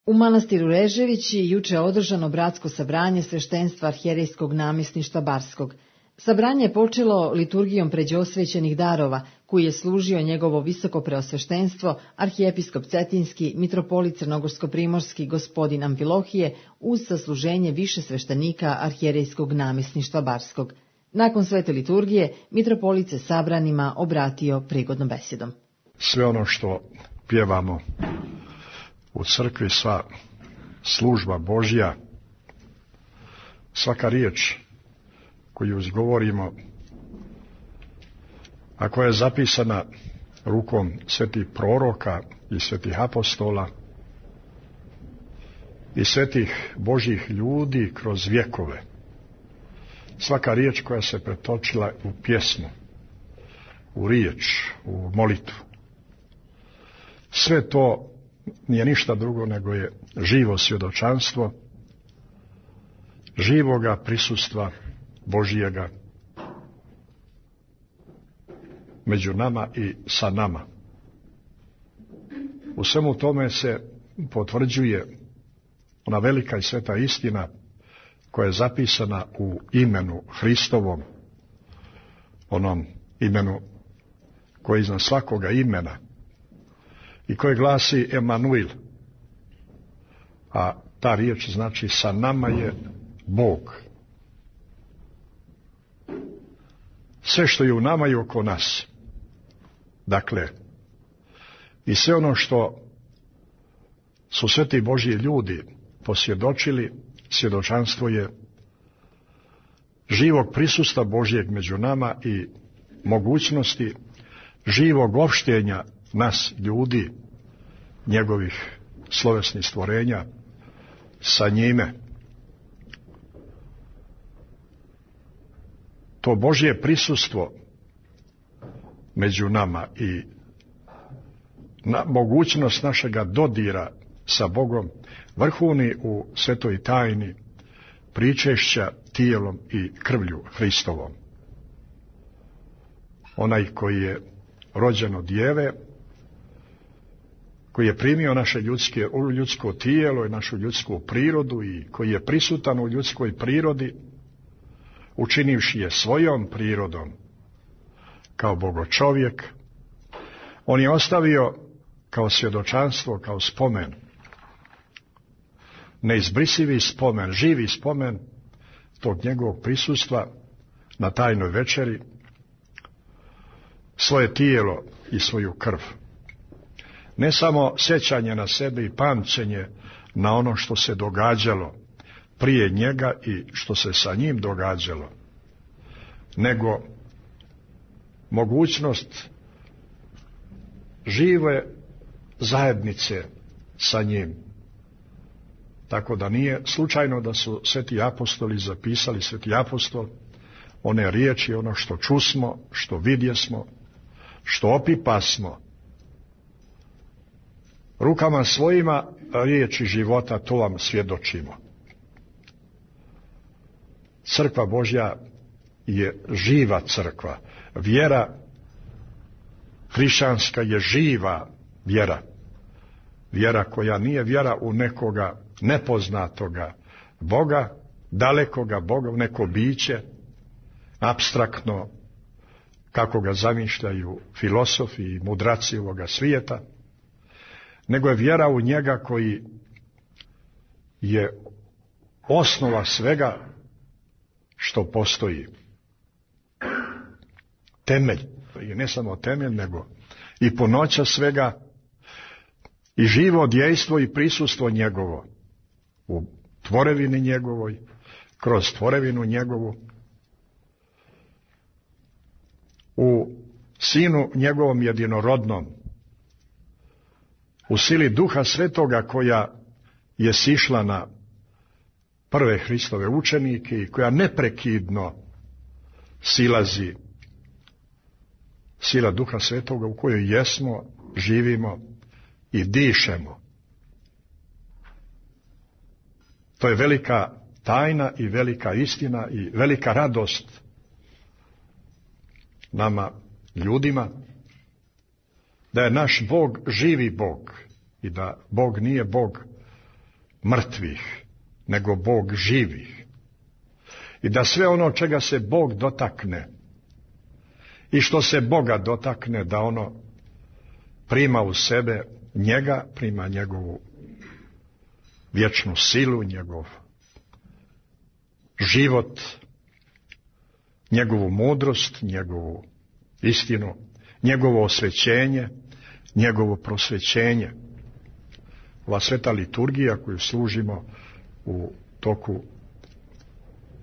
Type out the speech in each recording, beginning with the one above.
U manastiru Reževići juče je održano bratsko sabranje sveštenstva arhijerejskog namjesništva Barskog. Sabranje je počelo liturgijom pređosvećenih darova, koji je služio njegovo visoko preosveštenstvo, arhijepiskop Cetinski, mitropolit Crnogorsko-primorski gospodin Amfilohije, uz sasluženje više sveštenika arhijerejskog namjesništva Barskog. Nakon svete liturgije, mitropolit se sabranima obratio prigodnom besedom. Sve ono što pjevamo u crkvi, sva služba Božja, svaka riječ koju izgovorimo, a koja je zapisana rukom svetih proroka i svetih apostola i svetih Božjih ljudi kroz vjekove, svaka riječ koja se pretočila u pjesmu, u riječ, u molitvu, sve to nije ništa drugo nego je živo svjedočanstvo živoga prisustva Božjega među nama i sa nama. U svemu tome se potvrđuje ona velika i sveta istina koja je zapisana u imenu Hristovom, onom imenu koje je iznad svakoga imena i koje glasi Emanuil, a ta riječ znači sa nama je Bog. Sve što je u nama i oko nas, dakle, i sve ono što su sveti Božji ljudi posvjedočili, svjedočanstvo je živog prisustva Božjeg među nama i mogućnosti živog opštenja nas ljudi, njegovih slovesnih stvorenja, sa njime. To Božje prisustvo među nama i mogućnost našega dodira sa Bogom vrhuni u svetoj tajni pričešća tijelom i krvlju Hristovom. Onaj koji je rođen od djeve, koji je primio naše ljudsko tijelo i našu ljudsku prirodu i koji je prisutan u ljudskoj prirodi, učinivši je svojom prirodom kao bogočovjek, on je ostavio kao svjedočanstvo, kao spomen, neizbrisivi spomen, živi spomen tog njegovog prisustva na tajnoj večeri, svoje tijelo i svoju krv. Ne samo sjećanje na sebe i pamćenje na ono što se događalo prije njega i što se sa njim događalo, nego mogućnost žive zajednice sa njim. Tako da nije slučajno da su sveti apostoli zapisali, sveti apostol, one riječi, ono što čusmo, što vidjesmo, što opipasmo, rukama svojima riječi života, to vam svjedočimo. Crkva Božja je živa crkva. Vjera hrišćanska je živa vjera. Vjera koja nije vjera u nekoga nepoznatoga Boga, dalekoga Boga, u neko biće, apstraktno, kako ga zamišljaju filosofi i mudraci ovoga svijeta, nego je vjera u njega koji je osnova svega što postoji. Temelj, i ne samo temelj, nego i punoća svega i živo djejstvo i prisustvo njegovo u tvorevini njegovoj, kroz tvorevinu njegovu, u Sinu njegovom jedinorodnom, u sili Duha Svetoga koja je sišla na prve Hristove učenike i koja neprekidno silazi, sila Duha Svetoga u kojoj jesmo, živimo i dišemo. To je velika tajna i velika istina i velika radost nama ljudima, da je naš Bog živi Bog i da Bog nije Bog mrtvih, nego Bog živih. I da sve ono čega se Bog dotakne i što se Boga dotakne, da ono prima u sebe njega, prima njegovu vječnu silu, njegov život, njegovu mudrost, njegovu istinu, njegovo osvećenje, njegovo prosvećenje. Ova sveta liturgija koju služimo u toku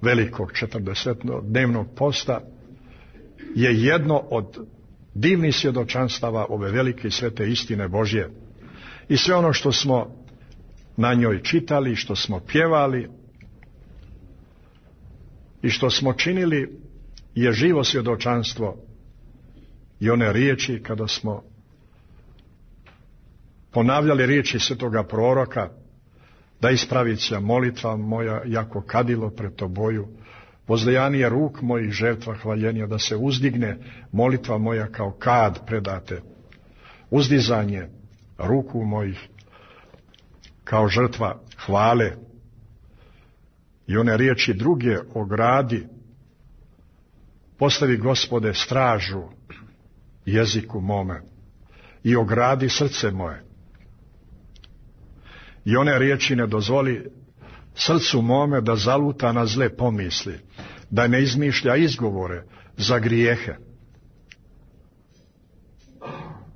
velikog 40-dnevnog posta je jedno od divnih svjedočanstava ove velike i svete istine Božje. I sve ono što smo na njoj čitali, što smo pjevali i što smo činili je živo svjedočanstvo. I one riječi kada smo ponavljali riječi svetoga proroka, da ispravit će molitva moja jako kadilo pred toboju, vozdejanije ruk mojih žrtva hvaljenja, da se uzdigne molitva moja kao kad predate, uzdizanje ruku mojih kao žrtva hvale. I one riječi druge o gradi, postavi Gospode stražu jeziku mome i ogradi srce moje. I one riječi ne dozvoli srcu mome da zaluta na zle pomisli, da ne izmišlja izgovore za grijehe.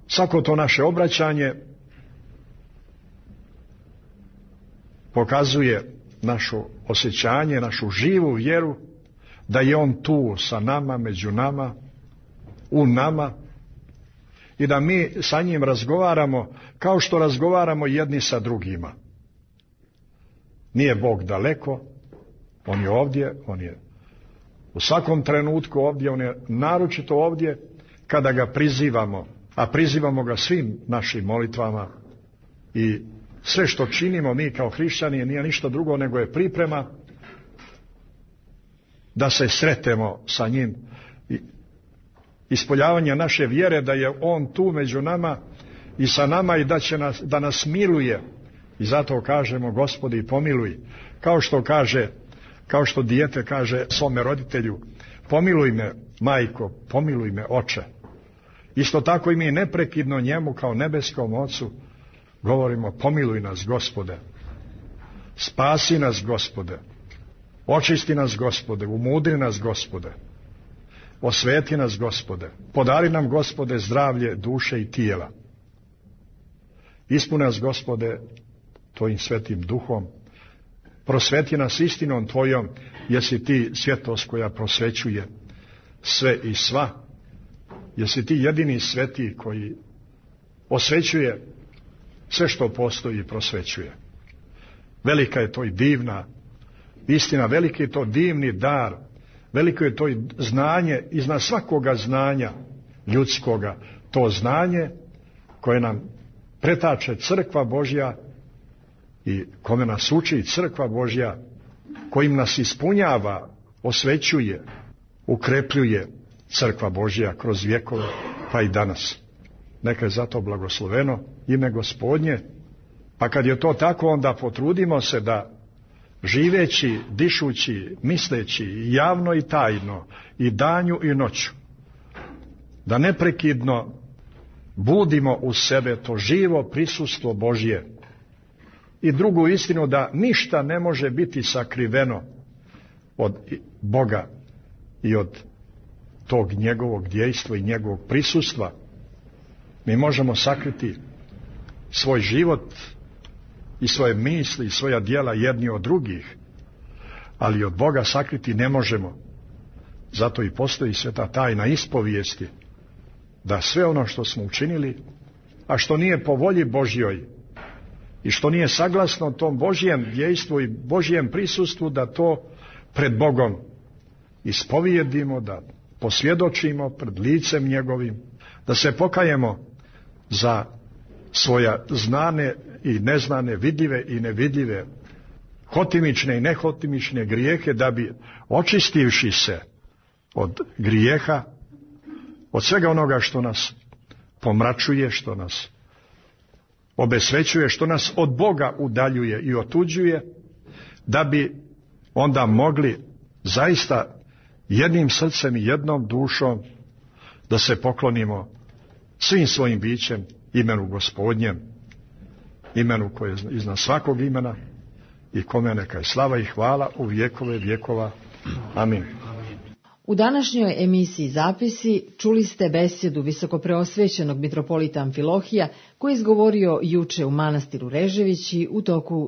Svako to naše obraćanje pokazuje naše osjećanje, našu živu vjeru da je On tu sa nama, među nama, u nama i da mi sa njim razgovaramo kao što razgovaramo jedni sa drugima. Nije Bog daleko, On je ovdje, On je u svakom trenutku ovdje, On je naročito ovdje kada ga prizivamo, a prizivamo ga svim našim molitvama i sve što činimo mi kao hrišćani nije ništa drugo nego je priprema da se sretemo sa njim. Ispoljavanje naše vjere da je On tu među nama i sa nama i da nas miluje. I zato kažemo Gospodi pomiluj. Kao što dijete kaže svome roditelju, pomiluj me majko, pomiluj me oče. Isto tako i mi neprekidno njemu kao nebeskom ocu govorimo pomiluj nas Gospode, spasi nas Gospode, očisti nas Gospode, umudri nas Gospode, osveti nas Gospode, podari nam Gospode zdravlje duše i tijela. Ispuni nas Gospode Tvojim svetim duhom, prosveti nas istinom Tvojom, jesi Ti svjetlost koja prosvećuje sve i sva, jesi Ti jedini sveti koji osvećuje sve što postoji i prosvećuje. Velika je to i divna istina, veliki je to divni dar, veliko je to i znanje iznad svakoga znanja ljudskoga, to znanje koje nam pretače crkva Božja i kome nas uči crkva Božja, kojim nas ispunjava, osvećuje, ukrepljuje crkva Božja kroz vjekove pa i danas. Neka je zato blagosloveno ime Gospodnje, pa kad je to tako onda potrudimo se da živeći, dišući, misleći javno i tajno i danju i noću, da neprekidno budimo u sebe to živo prisustvo Božje i drugu istinu da ništa ne može biti sakriveno od Boga i od tog njegovog djejstva i njegovog prisustva. Mi možemo sakriti svoj život i svoje misli i svoja djela jedni od drugih, ali od Boga sakriti ne možemo. Zato i postoji sveta tajna ispovijesti, da sve ono što smo učinili, a što nije po volji Božjoj i što nije saglasno tom Božjem djejstvu i Božjem prisustvu, da to pred Bogom ispovijedimo, da posvjedočimo pred licem njegovim, da se pokajemo za svoja znane i neznane, vidljive i nevidljive, hotimične i nehotimične grijehe, da bi očistivši se od grijeha, od svega onoga što nas pomračuje, što nas obesvećuje, što nas od Boga udaljuje i otuđuje, da bi onda mogli zaista jednim srcem i jednom dušom da se poklonimo svim svojim bićem imenu Gospodnjem, imenu koje je iznad svakog imena i kome neka je slava i hvala u vjekove vjekova. Amin. U današnjoj emisiji Zapisi čuli ste besjedu visokopreosvećenog mitropolita Amfilohija koji je izgovorio juče u manastiru Reževići u toku